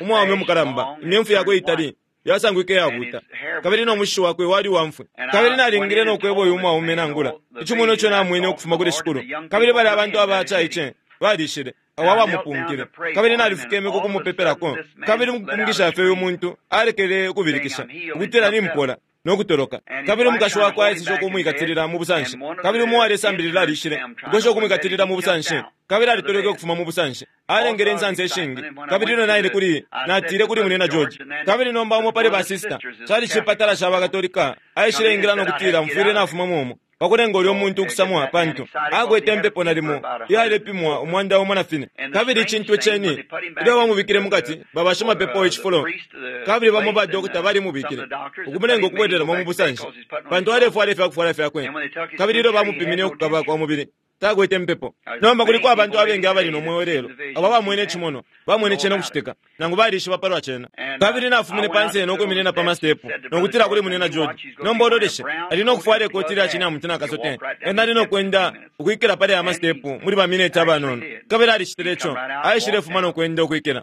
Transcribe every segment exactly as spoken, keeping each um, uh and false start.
Umwaume umukalamba, imyemfu yakwe itali yasangwike yabuta, kabili no mushishi wakwe wali wamfwe. Kabili nalingile no kweba uyu mwaume nangula icimonwa ico namwene ukufuma kuli Shikulu. Kabili bali abantu abacaice balishile awo abamupunkile, kabili nalifukeme ku kumupepelako. Kabili mukupumukisha fye uyu muntu alekele ukubilikisha ukutila nimpola. no kutoloka. Kabili umukashi wakwe aeseshe ukumwikatilila mu busanshi, kabili umo uwalesambilila alishile ukwesha ukumwikatilila mu busanshi, kabili alitoleke ukufuma mu busanshi. Alengele insansa ishingi. Kabili ilyo naile kuli, natile kuli munena George, kabili nomba umo pali ba sister cali cipatala ca bakatolika aishile ingila no kutila mfwile nafuma mumo pakulenga ulyo muntu ukusamwa, pantu akwete impepo nalimo iyalepimwa umwanda umo na fine. Kabili icintu iceni ilyo bamubikile mukati babashimapepo icifulo, kabili bamo ba dokota balimubikile ukumulenga ukubwereramo mu busanshi, pantu alefwala ifyakufwala fyakwe. Kabili ilyo bamupimine ukukaba kwa mubili, takwete impepo. Nomba kuliko abantu abengi abali no mweo lelo abo bamwene icimono, bamwene cena ukucitika, nangu balishiba palwa cena. Kabili nafumine pansi no kwiminina pa mastepu nokutila kuli munena George, nomba ololeshe, ali nokufwala ikoti lya cina nakasote, ena ali nokwenda ukwikila pali aya mastepu muli bamineti abanono. Kabili alicitile ico, aishilefuma nokwenda ukwikila.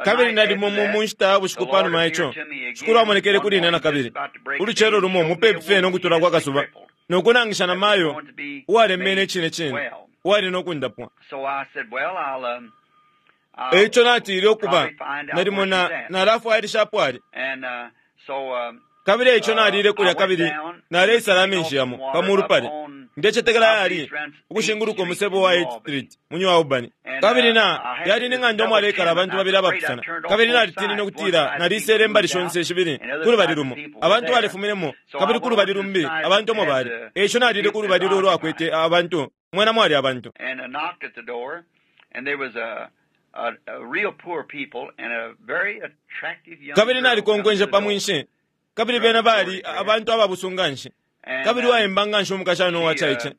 Kabili nalimo mu nshita ya bushiku panuma ico, Shikulu amonekele kuli ine nakabili ulucelo lumo mupepi fye nokutula kwa kasuba, nokunangisha na mayo uwalemene icine cine uwali nokundapwa. Eico natile ukuba nalimo nalafwailishapo ali. Kabili eico nalile kulya, kabili naleisala amenshi yamo pamulu pali ndecetekela yali ukushinguluka umusebo wa eighth Street mu New Albany. Kabili na yali ni ng'anda omwalekala abantu babili abapusana, kabili nalitinine ukutila nalisele imbali shonse shibili kulubali lumo abantu balifuminemo, kabili kulubali lumbi abantu omo bali. Eico nalile kulubali lulwakwete abantu mwena mwali abantu. Kabili nalikonkwenshe pa mwinshi, kabili bena bali abantu ababusunganshi, kabili waemba nganshi umukashana uwacaice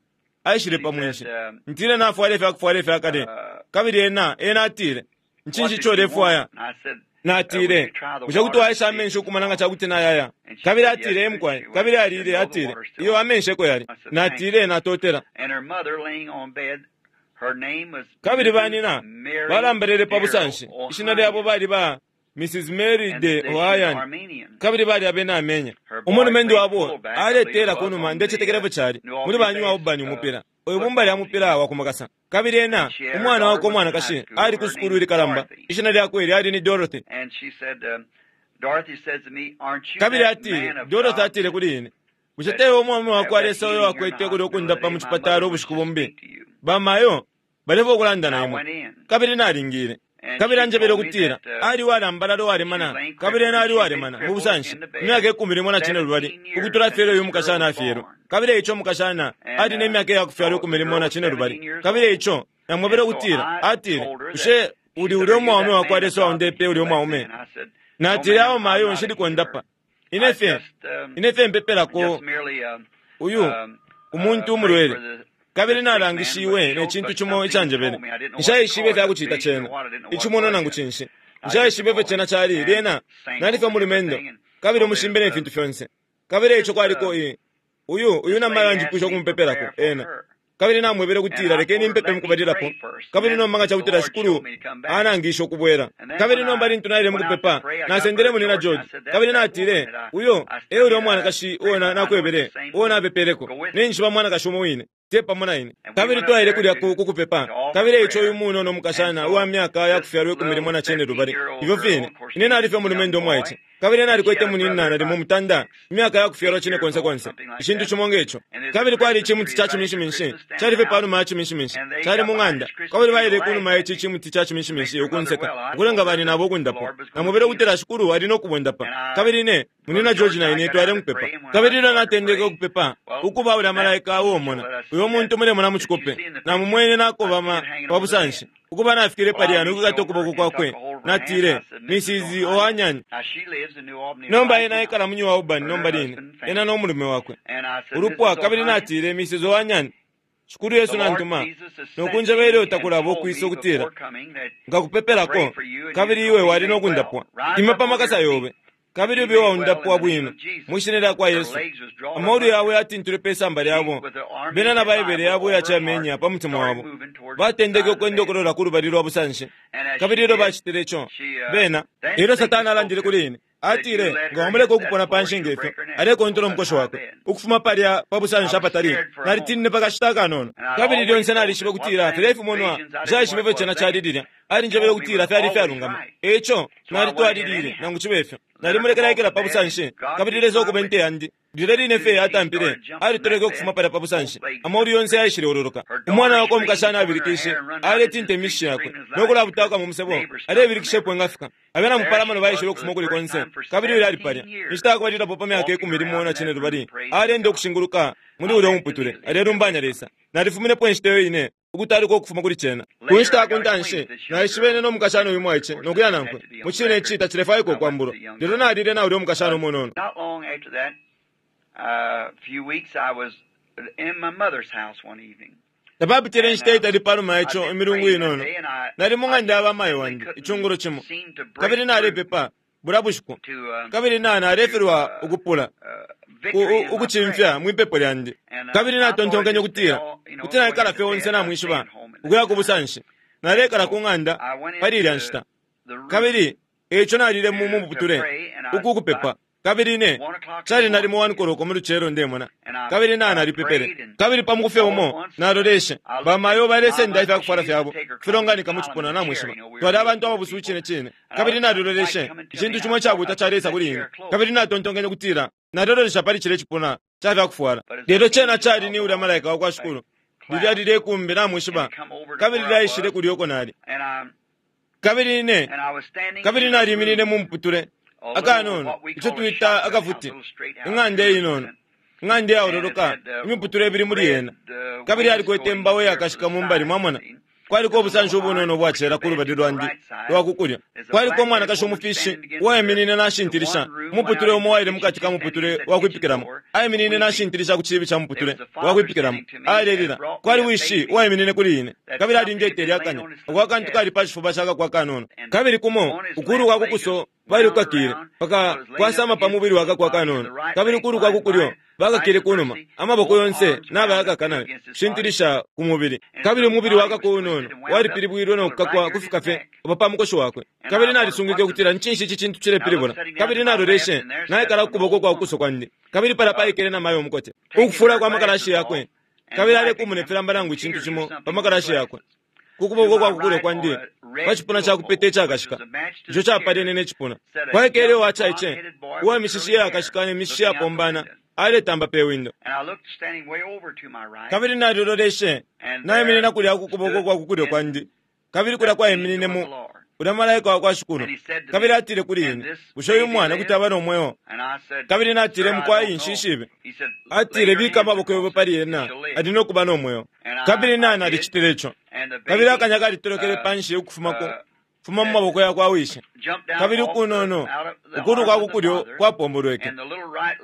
aishile pa mwinshi. Ntile nafwala ifyakufwala ifyakale, kabili ena ena atile, ncinshi ico ulefwaya? Natile, bushe kuti waisha amenshi ukumana nga cakuti nayaya? Kabili atile, emukwaye. Kabili alile, atile, iyo amenshi eko yali. Natile, natotela. Kabili banina balambelele pa busanshi, ishina lyabo bali ba Missus Mary de Ohayan, kabili bali abena Amenya. Umulumendu wabo aletela kunuma ndecetekelepo cali muli banywa ubani umupira uyu bumba lya mupira wa kumakasa. Kabili ena umwana wakwe umwanakashi ali ku sukulu ilikalamba, ishina lyakwe lyali ni Dorothy. Kabili atile, Dorothy atile kuli ine, bushe tewe umwaume wakwe Lesa uyo wakwete kuli ukundapa mu cipatala ubushiku bumbi? Bamayo balefa ukulanda na imwe. Kabili nalingile. Kabili anjebele ukutila ali walambalala uwalemana, kabili ena ali uwalemana mu busanshi imyaka ikumi limo na cine lubali ukutula fyelo uyu mukashana afyelwe. Kabili eico mukashana ali ne myaka iyakufyalwa ikumi limo na cine lubali. Kabili eico namwebele ukutila, atile, bushe uli ulya umwaume wakwa Lesa waundepe ulya umwaume? Natile, awo mayo nshili kundapa, ine fye ine fye mpepelako uyu umuntu umulwele. Kabili nalangishiwe ne cintu cimo icanjebele. Nshaishibe ifyakucita cena icimono nangu cinshi. Nshaishibe ifyo cena cali. Lyena nalife mulumendo kabili umushimbe ne fintu fyonse. Kabili eico kwaliko i uyu uyu namayo anjipwisha ukumupepelako ena. Kabili namwebele kutila lekeni mpepe mukubalilapo, kabili nomba nga cakutila Shikulu anangisha ukubwela. Kabili nomba lintu naile mukupepa, nasendele munina George, kabili natile, uyo e ulya umwanakashi uo nakwebele uo napepeleko, ninjishiba mwanakashi umo wine te pamo na ine. Kabili twaile kulya ku kupepa. Kabili eico uyu munono umukashana uwa myaka yakufyalwa ikumi limo na cine lubali ifyo fine ine nalife mulumendo umwaice, kabili nalikwete munina nalimo mutanda imyaka yakufyalwa cine konse konse icintu cimo ngeco. Kabili kwali icimuti ca ciminshiminshi calife panuma ya ciminshiminshi cali mu ng'anda, kabili baile kunuma ici cimuti ca ciminshiminshi ukunseka ukulenga bani nabo ukundapwa. Namwebele ukutila Shikulu ali nokubundapa. Kabili ine munina George na ine twale mukupepa. Kabili ilyo natendeke ukupepa, ukuba ulya malaika uomona uyo muntu mulemona mu cikope, namumwene nakobama pa busanshi ukuba nafikile palya nokukata ukuboko kwakwe. Natile, Missus Ohanyan. Nomba ena ekala mu New Albany nomba line, ena n'omulume wakwe ulupwa. Kabili natile, Missus Ohanyan, Shikulu Yesu nantuma nokunjebele utakulaba ukwisa ukutila nkakupepelako, kabili iwe wali nokundapwa. Ima pa makasa yobe, kabili ube waundapwa bwino mwishina lya kwa Yesu. Amolu yawe yatintule pe samba lyabo, bena na Baibele yabo yacamenya pa mutima wabo. Batendeke ukwenda ukulola kulubali lwa busanshi. Kabili ilyo bacitile ico bena, ilyo Satani alandile kuli ine, atile, nga wamuleka ukupona panshi ngefyo alekontola umukoshi wakwe ukufuma palya pa busanshi apatali. Nalitinine pakashita akanono, kabili lyonse nalishiba kutila filya ifimonwa nshaishibe ifyo cena cali lilya. Alinjebele ukutila fyali fyalungama. Eico nalitwalilile nangu cibe fyo. Nalimulekela ikela pa busanshi, kabili Lesa ukuba inte yandi. Lilya line fye atampile, alitoleke ukufuma palya pa busanshi. Amolu yonse yaishile ololoka. Umwana wakwe umukashana abilikishe, aletinta imishi yakwe, no kulabutauka mu musebo, alebilikishepo engafika. Abena mupalamano baishile ukufuma kuli konse, kabili uyo ali palya. Inshita yakubalilapo pa myaka ikumi limo na cine lubali, alenda ukushinguluka muli ulya umuputule, alelumbanya Lesa. Nalifuminepo inshita iyo ine, ukutaluka ukufuma kuli cena. Ku nshita yakuntanshi, naishibene no mukashana uyu mwaice nokuya nankwe. Mu cine ici tacilefwaikwa ukwambulo. Lelo nalile na ulya umukashana umunono. Not long after that, a few weeks, I was in my mother's house one evening. Tapapitile inshita itali panuma yaco imilungu inono. Nali mu ng'anda ya bamayo wandi icungulo cimo, kabili nalepepa bulya bushiku, kabili na nalefilwa ukupula ukucimfya mwipepo lyandi. Kabili natontonkenye ukutila kuti naikala fye onse namwishiba ukuya ku busanshi. Nalekala ku ng'anda pali ilya nshita, kabili eico nalile mu muputule uku kupepa. Kabili ine cali nalimo one koloko mu lucelo ndemona, kabili na nalipepele. Kabili pa muku fye umo naloleshe bamayo balesenda ifyakufwala fyabo filonganika mu cipuna namwishiba. Twali abantu ababusu cine cine. Kabili naloleshe icintu cimo icabuta calesa kuli ine, kabili natontonkenye ukutila nalolesha pali cile cipuna ca fyakufwala. Lelo cena cali ni ulya malaika wakwa Shikulu, lilya lilekumbi namwishiba, kabili lyaishile kulya uko nali. Kabili ine kabili naliminine mu muputule akanono, ico twita akafuti, ing'anda inono, ing'anda iyaololoka, imiputule ibili muli yena. Kabili alikwete imbawo iyakashika mumbali, mwamona. Kwaliko ubusanshi ubunono ubwacela ku lubali lwandi lwa kukulya. Kwaliko umwanakashi umufishi uwaiminine nashintilisha umuputule umo waile mukati ka muputule wa kwipikilamo. Aiminine nashintilisha ku ciibi ca muputule wa kwipikilamo, alelila. Kwali wishi uwaiminine kuli ine, kabili alindetele akanya ako akantu kali pa cifuba cakako akanono. Kabili kumo ukulu kwa kukuso balikukakile paka kwasama pa mubili wakako akanono, kabili ukulu kwa kukulyo bakakile kunuma, amaboko yonse nabayakaka nayo kushintilisha ku mubili. Kabili umubili wakako unono walipilibwilwe nokukakwa kufika fye oba pa mukoshi wakwe. Kabili nalisungwike ukutila ncinshi ici cintu cilepilibula. Kabili naloleshe naikala ku kuboko kwa kuso kwandi, kabili pala paikele namayo umukote ukufula kwa makalashi yakwe, kabili alekumuna ifilamba nangu icintu cimo pa makalashi yakwe. Ku kuboko kwa kukulyo kwandi pa cipuna ca kupeta icakashika, ico capalene ne cipuna, kwaikele uwacaice uwa mishishi iyakashika ne mishishi iyapombana, aletamba pe windo. Kabili naliloleshe naiminina kulya ku kuboko kwa kukulyo kwandi, kabili kulya kwaiminine mu ulya malaika wakwa Shikulu. Kabili atile kuli ine, bushe uyu mwana kuti aba no mweo? Kabili natile, mukwai nshishibe. Atile, bika amaboko yobe pali ena, ali no kuba no mweo. Kabili na nalicitile ico. Kabili akanya kalitolokele panshi ukufumako fuma mu maboko yakwa wishi. Kabili ukunono ukulu kwa kukulyo kwapombolweke,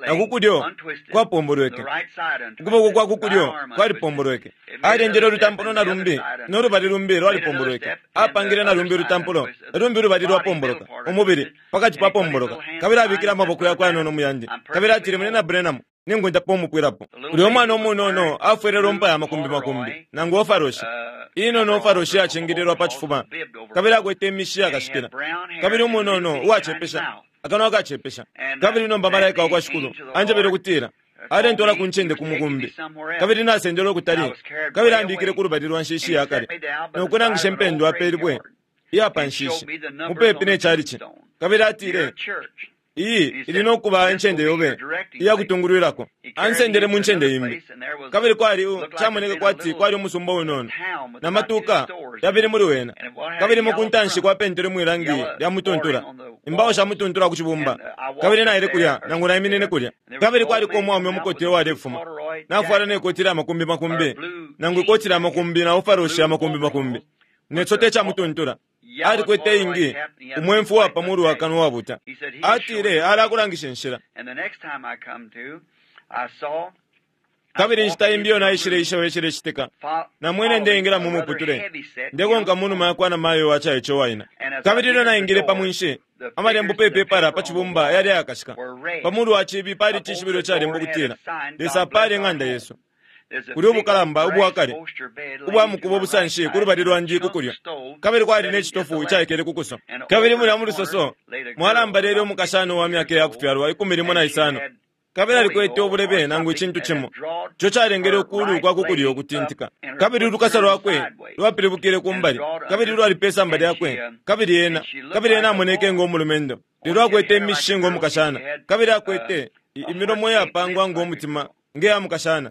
na kukulyo kwapombolweke, ukuboko kwa kukulyo kwalipombolweke. Alendele ulutampulo na lumbi, no lubali lumbi lwalipombolweke. Apangile na lumbi ulutampulo, lumbi ulubali lwapomboloka, umubili pakati papomboloka. Kabili abikile amaboko yakwe anono muyandi. Kabili atile, mune na Branham, ningundapo umupwilapo. Ulya umwana umunono afwele lumpa ya makumbi makumbi nangu ofaroshi inono ofaroshi yacingililwa pa cifuba, kabili akwete imishi yakashikila, kabili umunono uwacepesha, akanwa akacepesha. Kabili nomba malaika wakwa Shikulu anjebele ukutila alentola ku ncende ku mukumbi, kabili nasendele ukutali, kabili ambikile ku lubali lwa nshishi yakale, nokunangisha impendwa apelibwe iya pa nshishi mupepi ne calici. Kabili atile, iyi ili nokuba incende yobe iyakutungulwilako. Ansendele mu ncende imbi, kabili kwali camoneke kwati kwali umusumba unono na matuka yabili muli wena. Kabili mukuntanshi kwapentelwe mwilangi lya mutuntula, imbawo sha mutuntula ku cibumba. Kabili naile kulya nangu naiminine kulya, kabili kwaliko umwaume umukote uwalefuma nafwala nekoti lya makumbi makumbi nangu ikoti lya makumbi na ofaroshi ya makumbi makumbi necote ca mutuntula. Alikwete ingi umwemfu wa pamulu wa kanwa wabuta. Atile alakulangisha inshila. Kabili inshita imbi iyo naishile isho citika, namwene ndeingila mu muputule ndekonka munuma yakwa na mayo waca ico waina. Kabili ilyo naingile pa mwinshi, amalembo pepepala pa cibumba yali ayakashika. Pamulu wa cibi pali cishibilo calembo kutila Lesa pali eng'anda yesu. Kuli ubukalamba ubwakale ubwa mukuba obusanshi ku lubali lwandi kukulyo, kabili kwali ne citofu icaikele kukuso. Kabili mulya mu lusoso mwalambalele umukashana wa myaka yakufyalwa ikumi limo na isano, Kabili alikwete ubulebe nangu icintu cimo ico calengele ukulu kwa kukulyo ukutintika, kabili ulukasa lwakwe lwapilibukile kumbali, kabili lwali pe samba lyakwe, kabili ena kabili ena amoneke ngo mulumendo, lelo akwete imishishi ngo mukashana, kabili akwete imilomo yapangwa ngo mutima nge ya mukashana.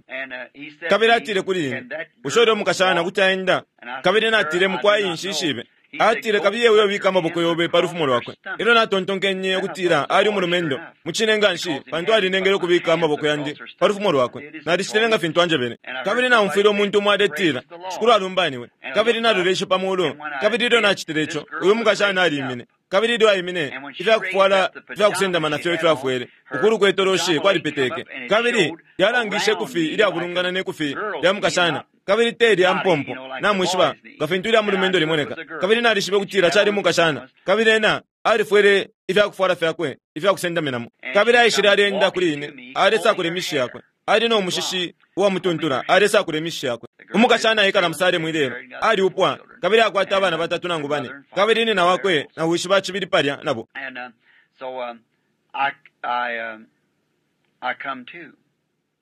Kabili atile kuli ine, bushe ulyo mukashana kuti aenda? Kabili natile, mukwai nshishibe. Atile, kabiye uyo bika amaboko yobe pa lufumo lwakwe. Elyo natontonkenye ukutila ali umulumendo mucine nganshi, pantu alinengele ukubika amaboko yandi pa lufumo lwakwe. Nalicitile nga fintu anjebele. Kabili naumfwile umuntu umo aletila, Shikulu alumbaniwe. Kabili naloleshe pa mulu, kabili ilyo nacitile ico, uyu mukashana alimine. Kabili ilyo aimine, ifyakufwala ifyakusendama nafyo ifyafwele ukulu kwe toloshi kwalipeteke, kabili lyalangishe ikufi ilyabulungana ne kufi lya mukashana, kabili te lya mpompo, namwishiba nga fintu ilya mulumendo limoneka. Kabili nalishibe kutila cali mukashana, kabili ena alifwele ifyakufwala fyakwe ifyakusendaminamo. Kabili aishile alenda kuli ine, alesakula imishishi yakwe, ali no mushishi uwamutuntula, alesakula imishishi yakwe. Umukashana aikala musalemu ilelo, aliupwa kabili akwata abana batatu nangu bane, kabili nina wakwe na wishi bacibili palya nabo.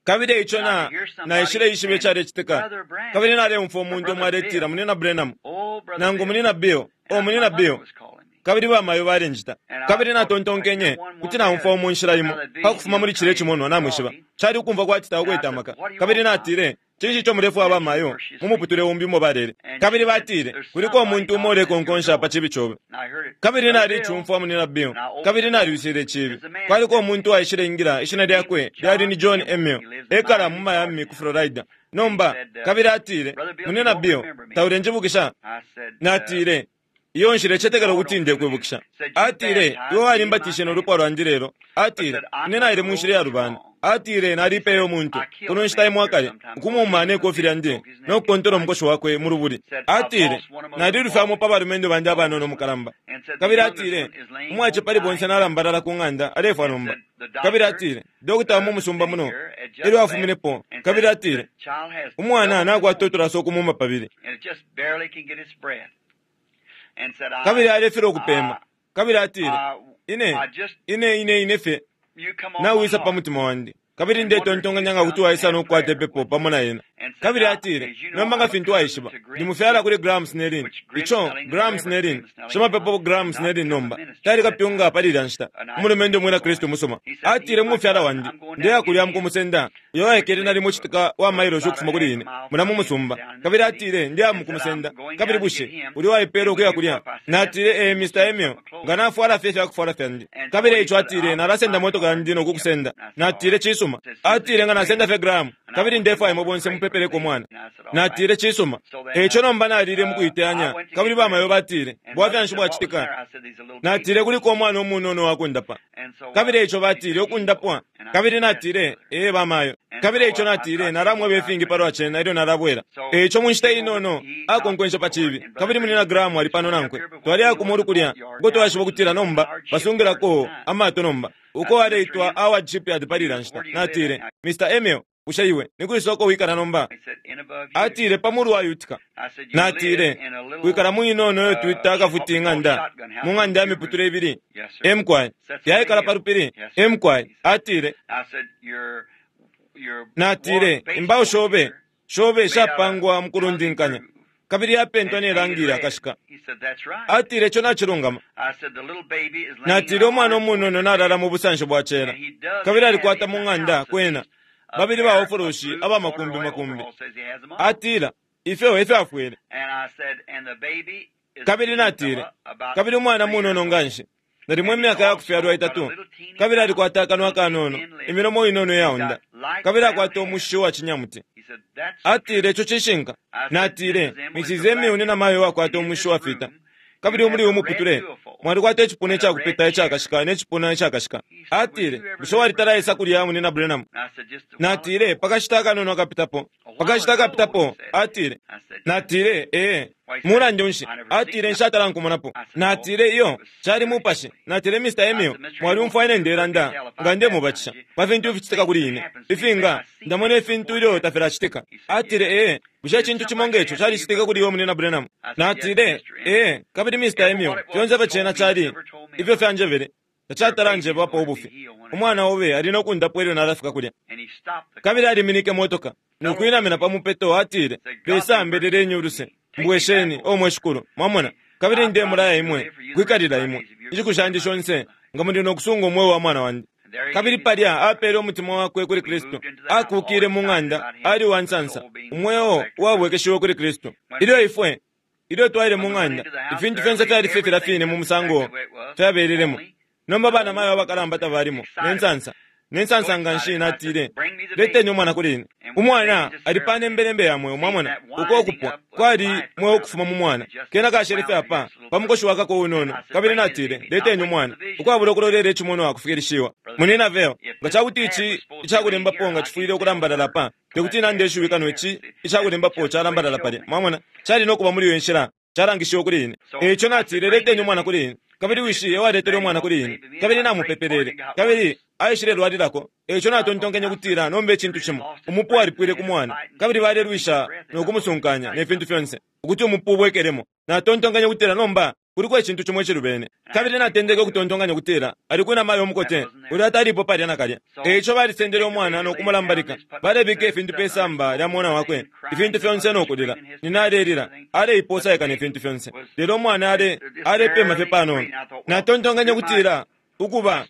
Kabili eico na naishile ishibe icalecitika, kabili naleumfwa umuntu umo aletila, Munina Branham, nangu Munina Bill, o Munina Bill, kabili bamayo balenjita. Kabili natontonkenye kuti naumfwa umu nshila imo pakufuma muli cile cimonwa, namwishiba cali ukumva kwati tawakwete amaka. Kabili natile, cinshi ico mulefwaya bamayo mu muputule umbi umo balele? Kabili batile, kuliko umuntu umo ulekonkonsha pa cibi cobe. Kabili nalicumfwa Munina Bill, kabili naliwisile icibi. Kwaliko umuntu uwaishile ingila, ishina lyakwe lyali ni John Emil, ekala mu Miami ku Florida nomba. Kabili atile, Munina Bill, taulenjibukisha? Natile, iyo nshilecetekela ukuti ndekwibukisha. Atile, iwe walimbatishe no lupwa lwandi lelo. Atile, ine naile mu nshila yalubana. Atile, nalipeye umuntu kuno nshita imo akale, ukumuuma ne kofi lyandi no kukontola umukoshi wakwe mu lubuli. Atile, nalilufyamo pa balumendo bandi abanono mukalamba. Kabili atile, umwace pali bonse nalambalala ku ng'anda alefwa nomba. Kabili atile, dokota mu musumba muno elyo afuminepo. Kabili atile, umwana nakwata utulaso ukumuuma pabili, kabili alefilwa ukupema. Kabili atile, ine ine ine ine fye nawisa pa mutima wandi, kabili ndetontonkanya nga kuti waisa nokukwata ipepo pamo na ena. Kabili atile, nomba nga fintu waishiba, ndimufyala kuli Graham Snelling, ico Graham Snelling shimapepo Graham Snelling nomba tali kapyunga pali ilya nshita, umulumendo umwina Kristu musuma. Atile, mufyala wandi ndeya kulya mukumusenda, uyo waikele nalimo citika wa mailoshi ukufuma kuli ine muna mu musumba. Kabili atile, ndeya mukumusenda. Kabili bushe uli waipela ukuya kulya? Natile, eh, Mister Emil, nga nafwala fye ifyakufwala fyandi. Kabili eico atile, nalasenda motoka yandi nokukusenda. Natile, cisuma. Atile, nga nasenda fye Graham, kabili ndefwaya imwe bonse mupepeleko mwana. Natile, cisuma. Eico nomba nalile mukuiteyanya, kabili bamayo batile, bwafya nshi bwacitika? Natile, kuliko umwana umunono wakundapa. Kabili eico batile, ukundapwa. Kabili natile, ee bamayo. Kabili eico natile, nalamweba ifingi palwa cena ilyo nalabwela. Eico mu nshita inono akonkwensha pa cibi, kabili Munina Graham ali pano nankwe. Twaliya ku mulu kulya uko twashiba kutila nomba basungilako amato nomba, uko aleitwa Howard Shipyard pali ilya nshita. Natile, Mister Emil, bushe iwe nikwisa uko wikala nomba? Atile, pa mulu wa Utica. Natile, wikala mu inono iyo twita akafuti ing'anda, mu ng'anda ya miputule ibili. Emkwai yaikala pa lupili. Emkwai. Atile, natile, imbao shobe shobe shapangwa mukulundinkanya, kabili yapentwa ne rangi yakashika. Atile, ico nacilungama. Natile, umwana umunono nalala mu busanshi bwa cela, kabili alikwata mu ng'anda kwena babili baofoloshi aba makumbi makumbi. Atila, ifyo efyafwele. Kabili natile, kabili umwana munono nganshi, nalimo imyaka yakufyalwa itatu, kabili alikwata akanwa kanono, imilomo inono yaunda, kabili akwata umushishi wa cinyamuti. Atile, ico cishinka. Natile, Missus Emil ni namayo wakwata umushishi wafita, kabili umuli umuputule mwalikwata icipuna icakupita icakashika ne cipuna icakashika. Atile, bushe walitala kulya Munina Branham? Natile, pakashita akanono akapitapo, pakashita akapitapo. Atile, natile, ee, mulandu nshi? Atile, nshatala nkumonapo. Natile, iyo cali mupashi. Natile, Mister Emil, mwaliumfwa ine ndelanda nga ndemubatisha pa fintu ificitika kuli ine, ifinga ndamona ifintu ilyo tafilacitika. Atile, ee, bushe icintu cimo ngeco calicitika kuli iwe Munina Branham? Natile, ee, kabili Mister Emil, fyonse fye cena cali ifyo fyanjebele. Tacatala njebapo ubufi. Umwana obe ali no kundapwa ilyo nalafika kulya. Kabili aliminike motoka nokwinamina pa mupeto, atile, Lesa mbeleleni uluse, mbwesheni o mwe Shikulu. Mwamona? Kabili ndemulaya imwe kwikalila imwe inshiku shandi shonse nga muli nokusunga umweo wa mwana wandi. Kabili palya apele umutima wakwe kuli Kristu, akukile mu ng'anda, ali uwansansa, umweo uwabwekeshiwe kuli Kristu. Ilyo ifwe ilyo twaile mu ng'anda, ifintu fyonse fyali fye filya fine mu musango fyabelelemo. Nomba bana mayo abakalamba tabalimo nensansa nensansa nga nshi. Natile, leteni umwana kuli ine. Umwana ali pa nembelembe ya mweo. Mwamona uko ukupwa kwali mweo ukufuma mu mwana, kena kashele fye apa pa mukoshi wakako unono. Kabili natile, leteni umwana, ukwabula ukulolela icimonwa akufikilishiwa. Munina veo, nga cakuti ici icakulembapo nga cifwile ukulambalala pa, tekuti nande ishiwi kano ici icakulembapo calambalala palya. Mwamona, cali nokuba muli iyo nshila, calangishiwe kuli ine. Eico natile, leteni umwana kuli ine. Kabili wishi ewaletele umwana kuli ine, kabili namupepelele, kabili aishile lwalilako. Eico natontonkenye kutila nomba icintu cimo, umupu walipwile ku mwana, kabili balelwisha nokumusunkanya ne fintu fyonse ukuti umupu ubwekelemo. Natontonkenye kutila nomba kuliko icintu cimo icilubene. Kabili natendeke ukutontonkanya kutila ali kwina mayo umukote ulya atalipo palya nakalya. Eico balisendele umwana nokumulambalika, balebika ifintu pe samba lya mwana wakwe, ifintu fyonse nokulila. Nina alelila, aleiposaika ne fintu fyonse, lelo umwana ale alepema fye panono. Natontonkanye kutila ukuba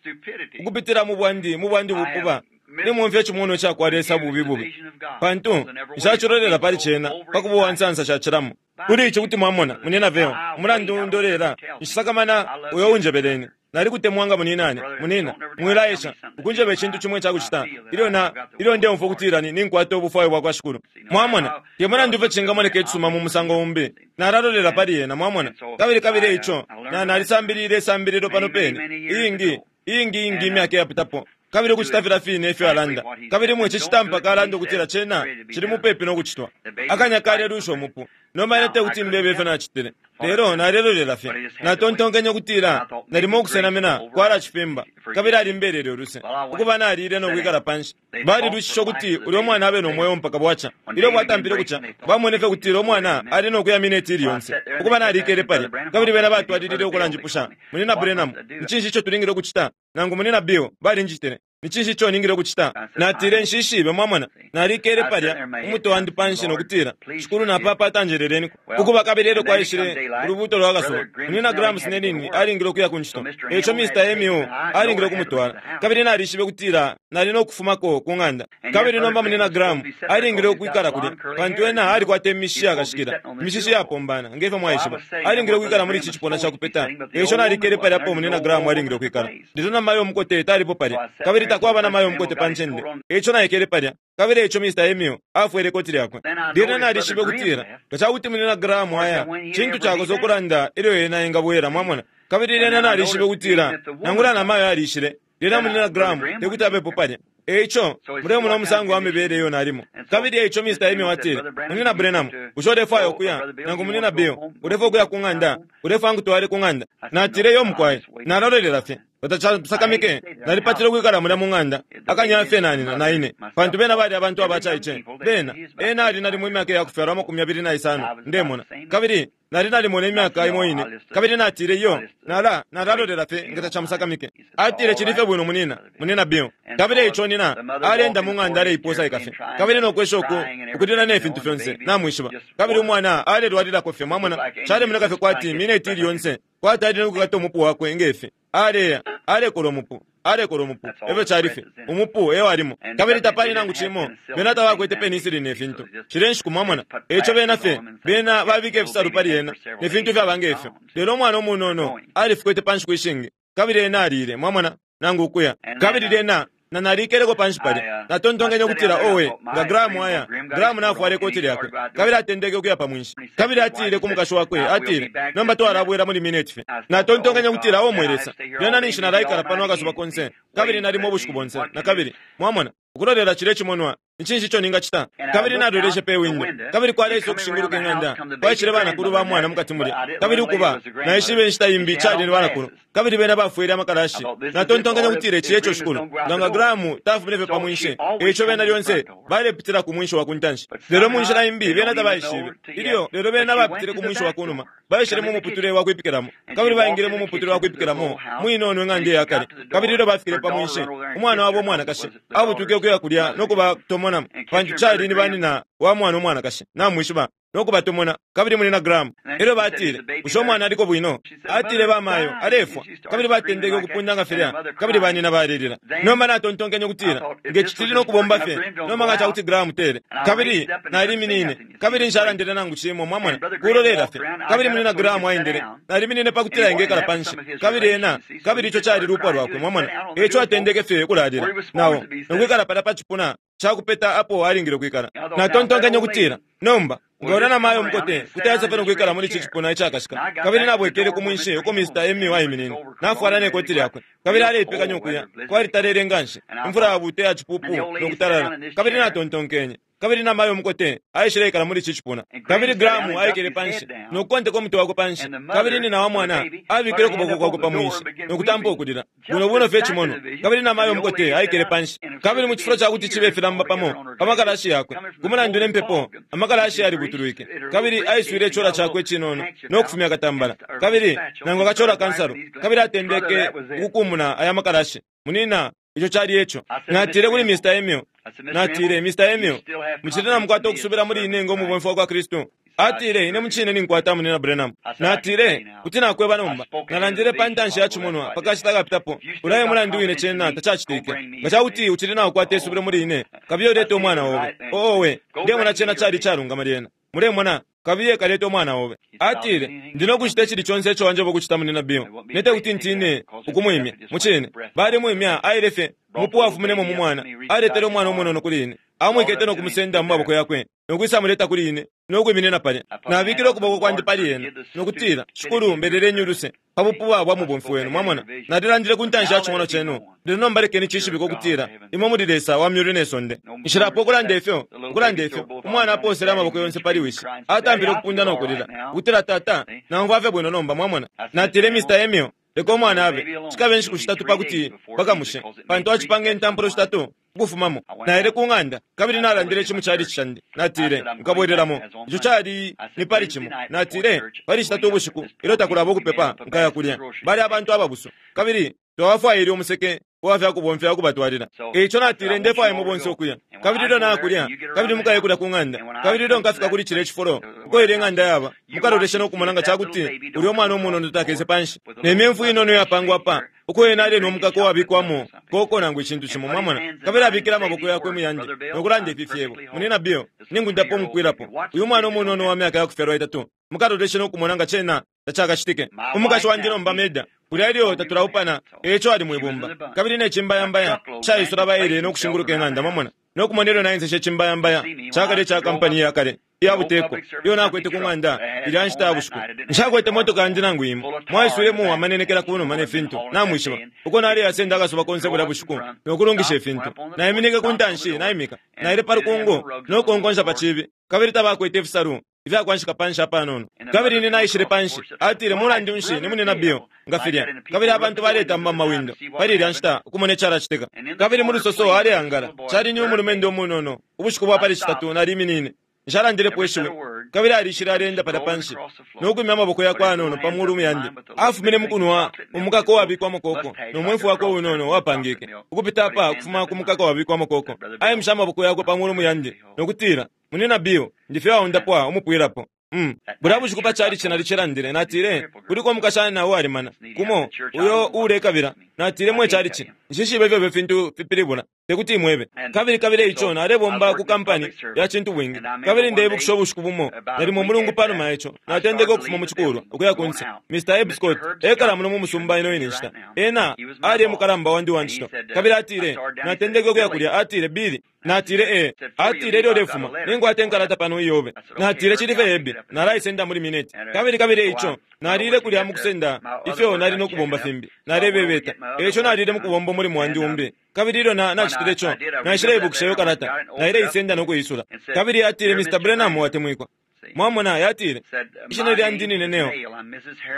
ukupitila mu bwandi mu bwandi bupuba nimumfya icimonwa cakwa Lesa bubi bubi, pantu nshacilolela pali cena pakuba uwansansa shacilamo. Kuli ici kuti mwamona munina veo umulandu ndolela nshisakamana uyo unjebeleni. Nalikutemwa nga muninane. Munina, mwilaesha ukunjeba icintu cimwe cakucita ilyo na ilyo ndeumfwa ukutila ninkwata ubufwayo bwakwa Shikulu. Mwamona, te mulandu ifyo cingamoneka icisuma mu musango umbi, nalalolela pali yena. Mwamona? Kabili kabili ico na nalisambilile isambililo pano pene iyingi iyingi iyingi imyaka iyapitapo, kabili ukucita filya fine ifyo alanda. Kabili mwe cicitampa kalanda ukutila cena cili mupepi no kucitwa. Akanya kalelwisha umupu. Nomba ine tekuti mbebe ifyo nacitile, lelo nalelolela fye. Natontonkenye ukutila nalimo ukusenamina kwalacifimba, kabili alimbelele uluse. Ukuba nalile no kwikala panshi, balilwishisha ukuti ulya umwana abe no mweo mpaka bwaca. Ilyo bwatampile kuca, bamwene fye kutila umwana ali no kuya mineti ili yonse. Ukuba nalikele palya, kabili bena batwalilile ukulanjipusha, munina Branham, ni cinshi ico tulingile ukucita? Nangu munina Bill, balinjitile, ni cinshi ico ningile ukucita? Natile, nshishibe. Mwamona, nalikele palya umutwe wandi panshi nokutila, Shikulu napapata njeleleniko. Ukuba kabili elyo kwaishile ulubuuto lwa kasuba, munina Graham Snelling alingile ukuya ku ncito, eico Mister Emu alingile ukumutwala. Kabili nalishibe kutila nali no kufumako ku ng'anda. Kabili nomba munina Graham alingile ukwikala kulya, pantu ena alikwata imishishi yakashikila, imishishi yapombana ngefyo mwaishiba. Alingile ukwikala muli ici cipuna cakupeta, eico nalikele palya apo munina Graham alingile ukwikala. Lelo namayo umukote talipo palya, kabili takwaba namayo umukote pa ncende, eico naikele palya. Kabili eico Mister Emil afwele ikoti lyakwe. Lyena nalishibe kutila nga cakuti munina Graham aya, cintu cakosa ukulanda ilyo ena engabwela. Mwamona? Kabili lyena nalishibe kutila nangula namayo alishile, lyena munina Graham tekuti abepo palya. Eico mulemona umusango wa mibele iyo nalimo. Kabili eico Mister Emil atile, munina Branham, bushe ulefwaya ukuya? Nangu munina Bill, ulefwaya ukuya ku ng'anda? Ulefwaya nkutwale ku ng'anda? Natile, yo mukwai, nalolela fye. Batacasakamike, nalipatile ukwikala mulya mu ng'anda akanya fye nanina na ine, pantu bena bali abantu abacaice. Bena ena ali nalimo imyaka yakufyalwa amakumi abili na isano ndemona, kabili nali nalimona imyaka imo ine. Kabili natile, iyo nala nalalolela fye nga tacamusakamike. Atile, cili fye bwino munina munina Bill. Kabili eico nina alenda mu ng'anda aleiposaika fye, kabili nokwesha uku ukulila ne fintu fyonse namwishiba. Kabili umwana alelwalilako fye. Mwamona, calemoneka fye kwati mineti ili yonse kwati ali nokukata umupu wakwe ngefi. Aleya alekola umupu, alekola umupu, efyo cali fye umupu eyo alimo. Kabili tapali nangu cimo, bena tabakwete penicillin ne fintu shile nshiku. Mwamona, eico bena fye bena babika ifisalu pali ena ne fintu fyaba ngefyo. Lelo umwana umunono alifikwete pa nshiku ishingi, kabili ena alile. Mwamona, nangu ukuya. Kabili lyena na nalikeleko panshi palya, natontonkenye ukutila owe nga Graham aya. Graham nafwala ikoti lyakwe, kabili atendeke ukuya pa mwinshi. Kabili atile ku mukashi wakwe, atile, nomba twalabwela muli mineti fye. Natontonkenye ukutila o mwe Lesa, lyena ninshi nalaikala pano akasuba konse, kabili nalimo ubushiku bonse na kabili. Mwamona, ukulolela cile cimonwa Nicinshi ico ningacita? Kabili naloleshe pe windo, kabili kwaleisa ukushinguluka ing'anda kwaishile banakulu ba mwana mukati mulya. Kabili ukuba naishibe inshita imbi cali ni banakulu, kabili bena bafwele amakalashi. Natontonkanya kutile ici eco shikulu nga Grahamu tafumine fye pa mwinshi, eico bena lyonse balepitila ku mwinshi wa kuntanshi, lelo mu nshila imbi bena tabaishibe ilyo, lelo bena bapitile ku mwinshi wa kunuma, baishile mu muputule wa kwipikilamo, kabili baingile mu muputule wa kwipikilamo mwinono ing'anda iya kale. Kabili ilyo bafikile pa mwinshi, umwana wabo umwanakashi abutwike ukuya kulya no kubatomonamo, pantu cali ni banina wa mwana umwanakashi, namwishiba, no kubatomona. Kabili muli na Grahamu. Elyo batile, bushe umwana aliko bwino? Atile, bamayo alefwa. Kabili batendeke ukupunda nga filya, kabili banina balelila. Nomba natontonkenye ukutila nge citili no kubomba fye nomba nga cakuti Grahamu tele. Kabili naliminine, kabili nshalandile nangu cimo, mwamona, kulolela fye. Kabili muli na Grahamu aendele, naliminine pakutila engekala panshi, kabili ena, kabili ico cali lupwa lwakwe, mwamona. Eco atendeke fye kulalila nawo nokwikala palya pa cipuna cakupeta apo alingile kwikala. Natontonkenye ukutila nomba ngaona na mayo mukote kuti ayasa no kwikala muli ici cipuna icakashika. Kabili nabwekele ku mwinshi uko Mister Emi waiminine, nafwala ne koti lyakwe, kabili aleipekanya ukuya. Kwalitalele nganshi, imfula yabuta ya cipupu no kutalala. Kabili natontonkenye, kabili na mayo mukote aishile ikala muli ici cipuna. Kabili Grahamu aikele panshi no kukonteka umutwe wakwe panshi, kabili nina wa mwana abikile ukuboko kwakwe pa mwinshi no kutampa ukulila buno buno fye cimono. Kabili na mayo mukote aikele panshi, kabili mu cifulo cakuti cibe filamba pamo pa makalashi yakwe, ku mulandu ne mpepo amakalashi yalibutulwike. Kabili aiswile icola cakwe cinono no kufumya akatambala, kabili nangu akacola kansalu, kabili atendeke ukukumuna aya makalashi. Munina, ico cali eco. Natile kuli Mister Emil, natile, Mister Emil, mucili namukwata ukusubila muli ine ngo mubomfi wa kwa Kristu? Atile, ine mucine ninkwata, munina Branham. Natile, kuti nakweba nomba, nalandile pa ntanshi ya cimonwa pakashita kapitapo, ulaye mulandu wine cena tacacitike. Nga cakuti ucili naukwata isubilo muli ine, kabiye ulete umwana obe. Owe, ndemona cena cali calungama lyena. Mulemona, kabiye kalete umwana obe. Atile, ndino kucita icili conse ico wanjeba ukucita, munina Bill. Nete kuti ntine ukumwimya, mucine. Bali mwimya, aile fye, mupu wafuminemo mu mwana, aletele umwana umunono kuli ine. Amwikete no kumusenda mu maboko yakwe, no kwisamuleta kuli ine, no kwiminina palya. Nabikile ukuboko kwandi pali ena, no kutila, shikulu mbeleleni uluse, pa bupuba bwa mubomfi wenu, mwamona. Nalilandile ku ntanshi ya cimono cenu, lelo nomba lekeni cishibike ukutila imwe muli Lesa wa myulu ne sonde. Nshilapo ukulanda ifyo, ukulanda ifyo, umwana aposele amaboko yonse pali wishi, atampile ukupunda no kulila, ukutila, tata, namva fye bwino nomba, mwamona. Natile, Mister Emil, leka umwana abe, cikabe inshiku shitatu pakuti bakamushe, pantu acipanga intampulo shitatu ukufumamo. Naile ku ng'anda, kabili nalandile ici mu cali candi. Natile, nkabwelelamo. Ico cali ni pali cimo. Natile, pali shitatu ubushiku, ilyo takulaba ukupepa, nkaya kulya. Bali abantu ababusu, kabili twabafwaile umuseke uwafya kubomfya ukubatwalila. Eico natile, ndefwaya imwe bonse ukuya. Kabili ilyo nakulya, kabili mukaye kulya ku ng'anda. Kabili ilyo nkafika kuli cile cifulo, uko ile ng'anda yaba, mukaloleshe no kumona nga cakuti ulya umwana umunono takese panshi. Ne myemfu inono yapangwa pa, uko ena ali no mukako wabikwamo koko nangu icintu cimo, mwamona. Kabili abikile amaboko yakwe muyandi no kulanda ifi fyebo. Munina Bill, ningundapo umupwilapo. Uyu mwana umunono wa myaka yakufyalwa itatu, mukaloleshe no kumona nga cena tacakacitike. Umukashi wandi nomba Meda, kulya ilyo tatulaupana, eco ali mwibumba. Kabili ne cimbayambaya caisula baile no kushinguluka ing'anda, mwamona. No kumona ilyo naenseshe cimbayambaya cakale ca kampani ya kale iya buteko iyo nakwete ku ng'anda ilya nshita ya bushiku. Nshakwete motoka yandi nangu imo, mwaiswilemo amanenekela kunuma ne fintu, namwishiba uko naleyasenda akasuba konse bulya bushiku no kulungisha ifintu. Naiminike ku ntanshi naimika, naile pa lukungu no kukonkonsha pa cibi, kabili tabakwete ifisalu ifyakwanshika panshi apanono. Kabili ine naishile panshi, atile, mulandu nshi ni munina Bill nga filya. Kabili abantu baletamba mu mawindo pali ilya nshita ukumona icalacitika. Kabili mu lusoso aleangala, cali ni umulumendo umunono. Ubushiku bwa pali shitatu naliminine, nshalandilepo ishiwi. Kabili alishile alenda palya panshi no kwimya amaboko yakwe anono pa mulu yandi. Afumine mukunwa umukako wabikwamo koko, no mwefu wakwe unono wapangike ukupita apa kufuma ku mukako wabikwamo koko. Aimisha amaboko yakwe pa mulu yandi no kutila, munina Bill, ndifye waundapwa umupwilapo. Mm. Bulya bushiku pa cali cina licelandile, natile, kuliko umukashana nawo walimana kumo uyo ulekabila. Natile, mwe cali ci nshishibe ifyo fintu fipilibula, tekuti imwebe. Kabili kabili ico nalebomba ku kampani ya cintu bwingi. Kabili ndebukisha ubushiku bumo nalimo mulungu panuma ico natendeke ukufuma mu cikulwa ukuya kunse. Mister Eb Scott ekala muno mu musumba ino ine nshita, ena ali mukalamba wandi wa ncito. Kabili atile, natendeke ukuya kulya, atile, Billy, Natile ee. Atile ilyo ulefuma ninkwata inkalata pano iyobe. Natile cili fye ebi, nalaisenda muli mineti. Kabili kabili ico nalile kulya mukusenda ifyo nali nokubomba fimbi, nalebebeta. Eico nalile mukubomba umulimo wandi umbi. Kabili ilyo na nacitile ico, naishileibukisha iyo kalata, naileisenda nokuisula. Kabili atile, Mister Branham watemwikwa. Mwamona, yatile, ishina lyandi nine Neo,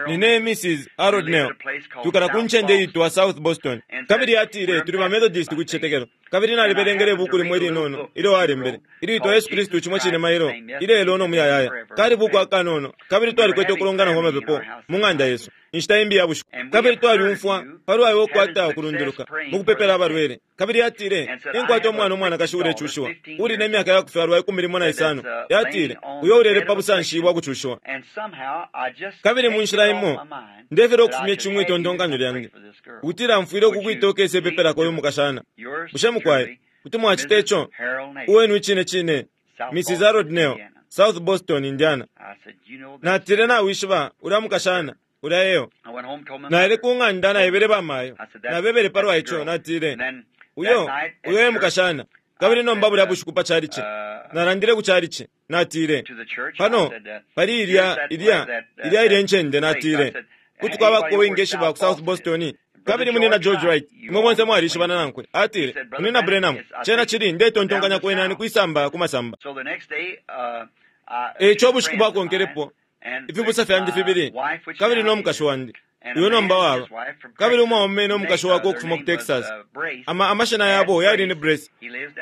nine Missus Harold Neo, tukala ku ncende itwa South Boston. Kabili yatile, tuli ba Methodist ku cicetekelo. Kabili nalibelengele ibuku limo ilinono ilyo alembele, ilitwa Yesu Kristu cimo cine mailo, ilelo no muyayaya. Kali buku akanono, kabili twalikwete ukulongana kwa mapepo mu ng'anda yesu inshita imbi ya bushiku. Kabili twaliumfwa palwa iwe ukwata ukulunduluka mukupepela abalwele. Kabili yatile, ninkwata umwana umwanakashi ulecushiwa, uli ne myaka yakufyalwa ikumi limo na isano. Yatile, uyo ulele pa busanshi bwa kucushiwa. Kabili mu nshila imo ndefera okufumya icimwe itontonkanyo lyange ukutila mfwile ukukwita ukese pepelako uyu mukashana. Bushe mukwaye kuti mwacita ico? Uwenu icine cine, Missus Harold Neo, South Boston, Indiana. Natile, nawishiba ulya mukashana ulya eyo. Naile ku ng'anda naebele bamayo, nabebele palwa ico. Natile, uyo uyo e mukashana. Kabili nomba bulya bushiku pa chalichi, nalandile ku chalichi. Natile, pano pali ilya ilya ilya ilya ncende. Natile, kuti kwabako uwingeshiba ku South Boston. Kabili munina George Wright, imwe bonse mwalishibana nankwe. Atile, munina Branham, cena cili ndetontonkanya kwena ni kwisamba ku masamba. Eico ubushiku bwakonkelepo, ifibusa fyandi fibili, kabili no mukashi wandi, uyo nomba waba, kabili umwaume no mukashi wakwe ukufuma ku Texas. Ama amashina yabo yali ni Brace,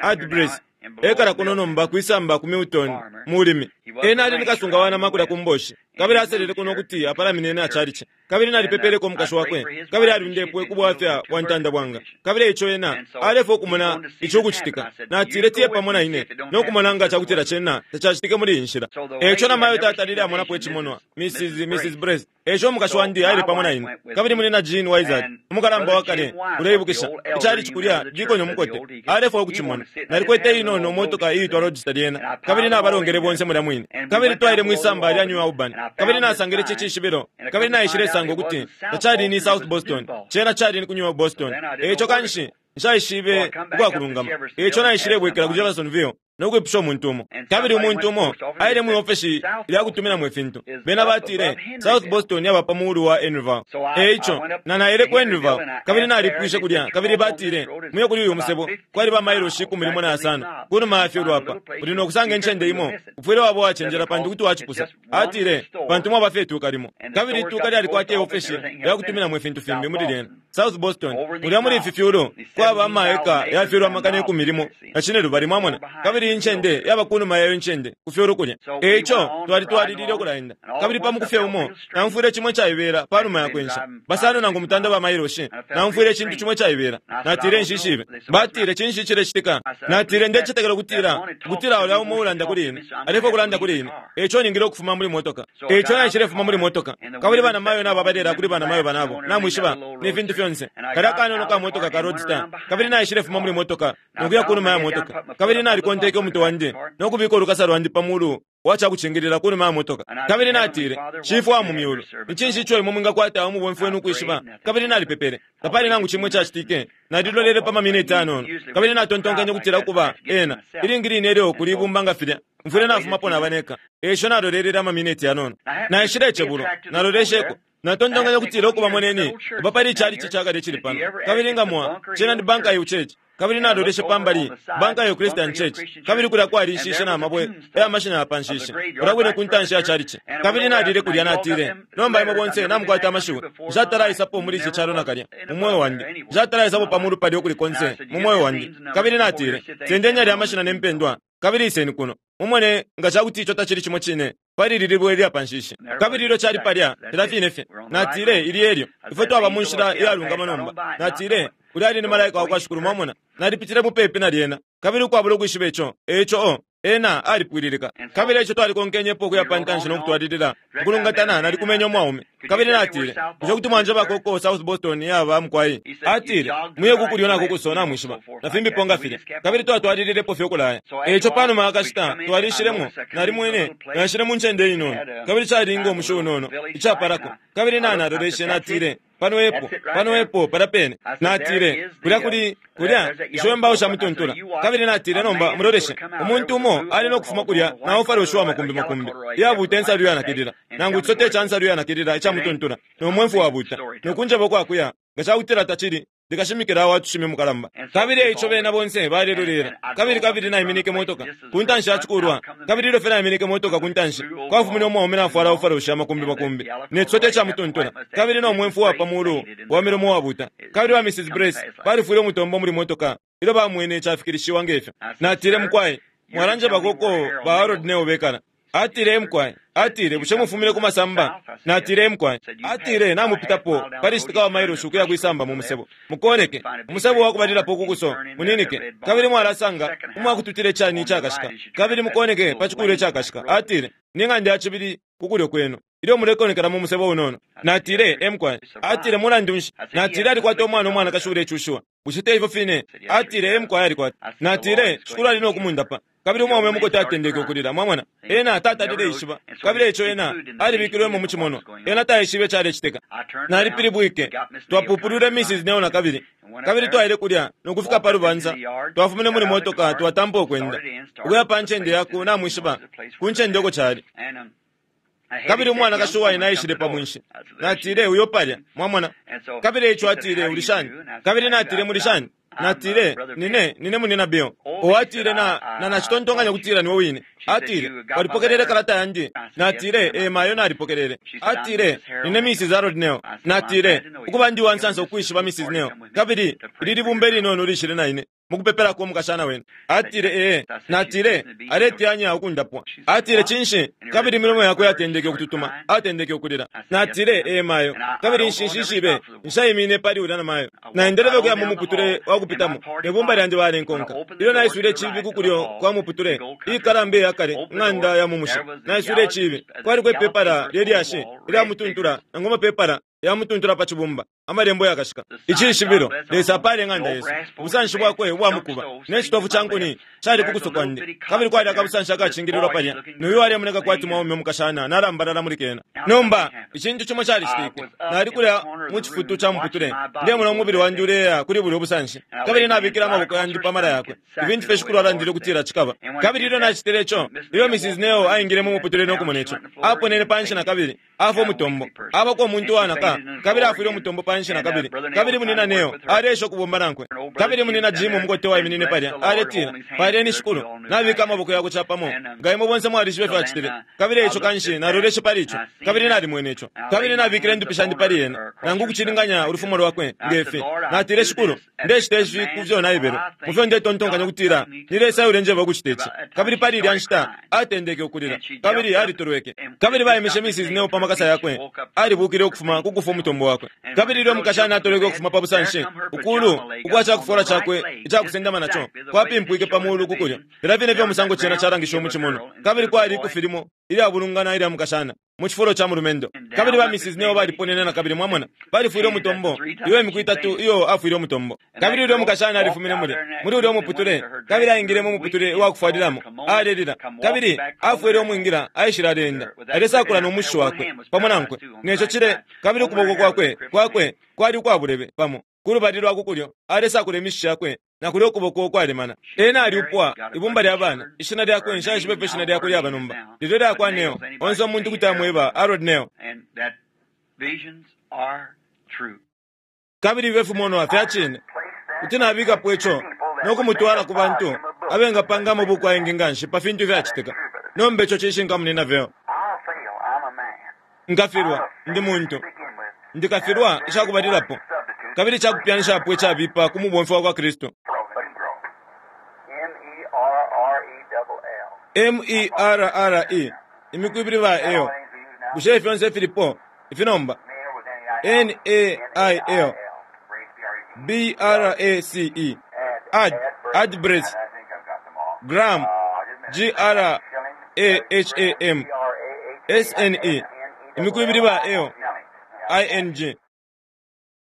Art Brace, ekala kuno nomba kwisamba ku Milton, mulimi. Ena ali ni kasunga wa nama kulya ku mboshi, kabili aselele kuno kuti apalamine na chalichi. Kabili nalipepeleko umukashi wakwe, kabili aliundepwe ku bwafya bwa ntanda bwanga. Kabili ico ena alefwa okumona ico ukucitika. Natile tiye pamo na ine nokumona nga cakutila cena tacacitike muli iyi nshila. Eico namayo tatalile amonapo icimonwa, Missus Missus Brace. Eico umukashi wandi aile pamo na ine. Kabili munina Jean Wizard, umukalamba wa kale, uleibukisha icalichi kulya dikoni umukote, alefwa ukucimona. Nalikwete inono motoka iitwa Roadster lyena, kabili nabalongele bonse mulya mwine. Kabili twaile mwisamba lya New Albany, kabili nasangile cicishibilo, kabili naishilesanga ukuti tacali ni South Boston, cena cali ni ku New Boston. Eico kanshi nshaishibe ukwakulungama. Eico naishilebwekela ku Jeffersonville nokwipusha umuntu umo. Kabili umuntu umo aile mwi ofesi lyakutuminamo ifintu. Bena batile South Boston yaba pa muulu wa Henryville. Eico na naile ku Henryville, kabili nalipwishe kulya, kabili batile muye kuli uyu musebo kwali ba mailoshi ikumi limo na yasano kunuma ya fyulu apa, uli nokusanga incende imo ufwile waba wacenjela pantu kuti wacipusa. Atile pantu mwaba fye ituka limo, kabili ituka lyalikwata iofesi lyakutuminamo ifintu fimbi muli lyena South Boston. Mulya muli ifi fyulu kwaba amaeka ya fyulu amakana ikumi limo na cine lubali, mwamona, kabili incende yaba kunuma yayo incende ku fyulu kulya. Eico twalitwalilile ukulaenda. Kabili pa mukufye umo namfwile cimwe caibela panuma ya kwensha basano nangu mutanda ba mailoshi, namfwile icintu cimwe caibela. Natile nshishibe. Batile cinshi cilecitika? Natile ndecetekela ukutila ukutila ulya umo ulanda kuli ine alefwa ukulanda kuli ine. Eico ningile ukufuma muli motoka. Eico naishilefuma muli motoka, kabili banamayo nabo abalela kuli banamayo banabo, namwishiba ne fintu fyonse. Kalya kanono ka motoka ka Roadster. Kabili naishilefuma muli motoka nokuya kunuma ya motoka, kabili nalikonteke umutwe wandi nokubika ulukasa lwandi pa mulu wacakucingilila kunuma ya motoka. Kabili natile, Shifwe wa mu myulu, ni cinshi ico imwe mwingakwata umubomfi wenu ukwishiba? Kabili nalipepele, tapali nangu cimwe cacitike. Nalilolele pa maminiti anono, kabili natontonkenye ukutila ukuba ena ilingi line ilyo kuli ibumba nga filya mfwile nafumapo nabaneka. Eico nalolelele amaminiti yanono, naishile icebulo, nalolesheko. Natontonkanya ukutila ukuba moneni uba pali icalichi cakale cili pano, kabili nga mwa cena ni Banka yu Church. Kabili naloleshe pambali Banka yu Christian Church, kabili kulya kwalishishe na mabwe ya mashina ya panshishe kulya kwine ku ntanshi ya chalichi. Kabili nalile kulya, natile, nomba imwe bonse namukwata amashiwi, nshatalaisapo muli ici calo nakalya mu moyo wandi, nshatalaisapo pa mulu palya ukuli konse mu moyo wandi. Kabili natile, sendeni yalya amashina ne mpendwa, kabili iseni kuno mumone nga cakuti ico tacili cimo cine pali lili libwe lya panshishi. Kabili ilyo cali palya filya fine fye. Natile, ili elyo ifwe twaba mu nshila iyalungama nomba. Natile, ulya ali ni malaika wakwa Shikulu, mwamona. Nalipitile mupepi na lyena, kabili ukwabula ukwishiba ico. Eico o ena alipwililika. Kabili eico twalikonkenyepo ukuya pa ntanshi nokutwalilila ukulungatana. Nalikumenya umwaume, kabili natile, bushe kuti mwanjebako uko South Boston yaba mukwai? Atile, muye kukulyo nakukuso, namwishiba, na fimbipo nga filya. Kabili twatwalililepo fye ukulaya. Eico panuma akashita twalishilemo, nalimwene naishile mu ncende inono, kabili calinga umushi unono icapalako. Kabili nanaloleshe, natile, Pano epo, pano epo palya pene. Natile, kulya kuli, kulya isho imbawo sha mutuntula. Kabili natile, nomba muloleshe, umuntu umo ali no kufuma kulya na ofaroshiwa makumbi makumbi iyabuta ensalu yanakilila, nangu chisote cha nsalu yanakilila icha mutuntula, no mwemfu wabuta nokunjeba kwakuya nga chakutila tachili ndikashimikila watushime mukalamba. Kabili eico bena bonse balelolera. Kabili kabili naiminike motoka kuntanshi yachikulwa. Kabili ilyo fye naiminike motoka kuntanshi kwafumine umwaume nafwala ofarosha makumbi makumbi ne chisote cha mutuntula, kabili no mwemfu wa pamulu wa milomo wabuta. Kabili wa Missus Brace balifwile umutombo muli motoka ilyo bamwene chafikilishiwa ngefyo. Natile, mukwai, mwalanje bakoko ba Harold Neo bekala. Atile, mkwai. Atile, bushe mufumile ku masamba? Natile, mkwai. Atile, namupitapo pali citika wa mailoshi ukuya kwisamba mu musebo. Mukoneke umusebo wakubalilapo kukuso muninike, kabili mwalasanga umwakututile chani ichakashika, kabili mukoneke pa chikulo ichakashika. Atile, ni ng'anda ya chibili kukulyo kwenu ilyo mulekonekela mu musebo unono. Natile, emkwai. Atile, mulandu nshi? Natile, alikwata umwana umwanakashi ulecushiwa. Bushe te ifyo fine? Atile, emkwai, alikwata. Natile, shikulu ali nokumundapa. Kabili umwaume mukote atendeke ukulila. Mwamona, ena tatalile ishiba, kabili ico ena alibikilwemo mu chimono. Ena taishibe chalecitika. Nalipilibwike, twapupulwile Missus Neo na kabili, kabili twaile kulya nokufika pa lubanza. Twafumine muli motoka, twatampa ukwenda ukuya pa ncende yaku namwishiba ku ncende uko cali. Kabili umwanakashi uwaina aishile pa mwinshi. Natile, uyo palya. Mwamona. Kabili ico atile, uli shani? Kabili natile, muli shani? Natile, nine nine munina Bill. O atile, na na nachitontonkanya kutila niwe wine. Atile, walipokelele kalata yandi? Natile, e mayo nalipokelele. Atile, nine Missus Harold Neo. Natile, ukuba ndi wansansa ukwishiba Missus Neo, kabili lili bumba ilinono lishile na ine mukupepelako umukashana wenu. Atile, ee. Natile, aleteyanya ukundapwa. Atile, cinshi? Kabili imilomo yakwe yatendeke ukututuma, atendeke ukulila. Natile, ee mayo. Kabili nshinshishibe nshaimine pali ulya na mayo. Naendelele ukuya mu muputule wakupitamo, ne bumba lyandi balenkonka. Ilyo naiswile chibi kukulyo kwa muputule ikalamba iyakale ng'anda ya mumushi, naiswile chibi, kwaliko ipepala lyelyashi ilya mutuntula, nangu amapepala ya mutuntula pa chibumba, amalembo yakashika. Icishibilo, Lesa apale ng'anda yesu, ubusanshi bwakwe ubwamukuba ne chitofu cha nkuni chali kukuso kwandi. Kabili kwali akabusanshi akachingililwa palya, nuyu aliyemoneka kwati mwaume umukashana nalambalala muli kena. Nomba ichintu chimo chalicitike. Nali kulya mu chifutu cha muputule, ndemona umubili wandi uleya kuli buli ubusanshi, kabili nabikile amaboko yandi pamala yakwe. Ifintu fye shikulu alandile ukutila chikaba. Kabili ilyo nachitile ico, ilyo Missus Neo aingile mu muputule nokumona ico, aponene panshi na kabili afa umutombo, abako umuntu wanaka, kabili afwile umutombo panshi na kabili. Kabili munina Neo alesha ukubomba nankwe. Kabili munina Jim umukote waiminine palya aletila, paleni shikulu, nabika amaboko yakwe chapamo. Nga imwe bonse mwalishibe fyacitile. Kabili ico kanshi naloleshe pali ico, kabili nalimwene ico, kabili nabikile ndupi shandi pali ena, nangu kuchilinganya ulufumo lwakwe ngefi. Natile, shikulu, ndecita ifi kufyo naibelo mufyo ndetontonkanya kutila ni Lesa ulenjeba ukucita ici. Kabili pali ilya nshita atendeke ukulila, kabili alitolweke. Kabili baimishe Missus Neo pa makasa yakwe, alibukile ukufuma kukufa umutombo wakwe. Kabili ilyo umukashana atolweke ukufuma pa busanshi, ukulu ukwa chakufola chakwe ichakusendama nacho kwapimpwike pa mulu kukulya, lila vine vyo musango chena chalangisha muchimono. Kabili kwali ikufilimo ilyabulungana ilya mukashana mu chifulo cha mulumendo. Kabili ba Missus Neo baliponene na kabili. Mwamona, balifwile umutombo iyo imiku itatu iyo afwile umutombo. Kabili ulya mukashana alifumine mulya muli ulya umuputule, kabili aingile mu muputule uwakufwalilamo, alelila. Kabili afwile umwingira, aishile alenda alesakula nomushi wakwe pamo nankwe neco chile. Kabili ukuboko kwakwe kwakwe kwali ukwabulebe pamo kulubali lwa kukulyo, alesakula imishi yakwe na kulyo ukuboko ukwalemana. Ena aliupwa ibumba lya bana, ishina lyakwe nshaishibe pe ishina lyakwe lyaba nomba, lilyo lyakwa Neo. Onse umuntu kuti amweba Harold Neo. Kabili ife fimonwa fyachine kuti nabikapo ico nokumutwala ku bantu abengapanga amabuku ayengi nganshi pa fintu ifyacitika. Nomba ico cishinka munina veo. Nkafilwa, ndi muntu, ndikafilwa icakubalilapo, kabili icakupyanishapo icabipa ku mubomfi wa kwa Kristu. M E R R E imiku ibili ba eo. Bushe fyonse filipo ifinomba? N A I L B R A C E Ad Adbrace Graham G R A H A M S N E imiku ibili ba eo I N G.